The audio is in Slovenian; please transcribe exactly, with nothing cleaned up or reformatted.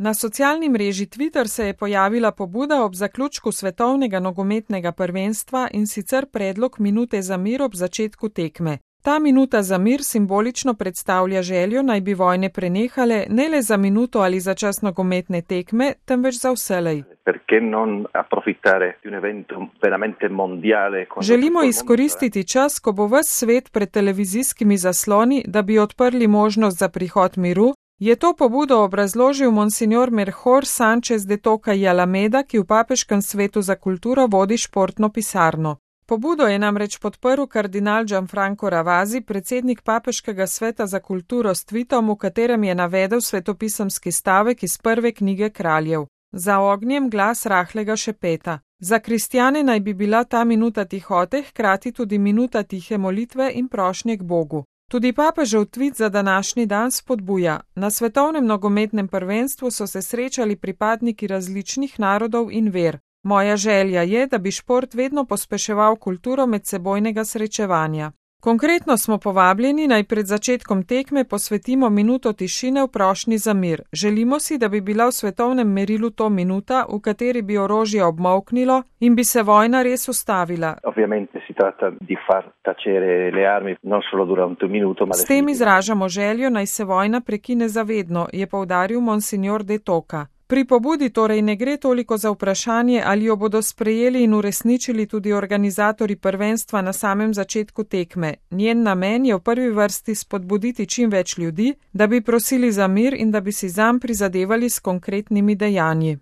Na socialni mreži Twitter se je pojavila pobuda ob zaključku svetovnega nogometnega prvenstva in sicer predlog minute za mir ob začetku tekme. Ta minuta za mir simbolično predstavlja željo, naj bi vojne prenehale ne le za minuto ali za čas nogometne tekme, temveč za vselej. Želimo izkoristiti čas, ko bo ves svet pred televizijskimi zasloni, da bi odprli možnost za prihod miru. Je to pobudo obrazložil monsignor Melchor Sánchez de Toca y Alameda, ki v Papeškem svetu za kulturo vodi športno pisarno. Pobudo je namreč podprl kardinal Gianfranco Ravasi, predsednik Papeškega sveta za kulturo s tweetom, v katerem je navedel svetopisemski stavek iz prve knjige kraljev. Za ognjem glas rahlega šepeta. Za kristjane naj bi bila ta minuta tihote, hkrati tudi minuta tihe molitve in prošnje k Bogu. Tudi papežev tvit za današnji dan spodbuja. Na svetovnem nogometnem prvenstvu so se srečali pripadniki različnih narodov in ver. Moja želja je, da bi šport vedno pospeševal kulturo medsebojnega srečevanja. Konkretno smo povabljeni, naj pred začetkom tekme posvetimo minuto tišine v prošnji za mir. Želimo si, da bi bila v svetovnem merilu to minuta, v kateri bi orožje obmolknilo in bi se vojna res ustavila. S tem izražamo željo, naj se vojna prekine zavedno, je poudaril monsignor de Toca. Pri pobudi torej ne gre toliko za vprašanje, ali jo bodo sprejeli in uresničili tudi organizatorji prvenstva na samem začetku tekme. Njen namen je v prvi vrsti spodbuditi čim več ljudi, da bi prosili za mir in da bi si zanj prizadevali s konkretnimi dejanji.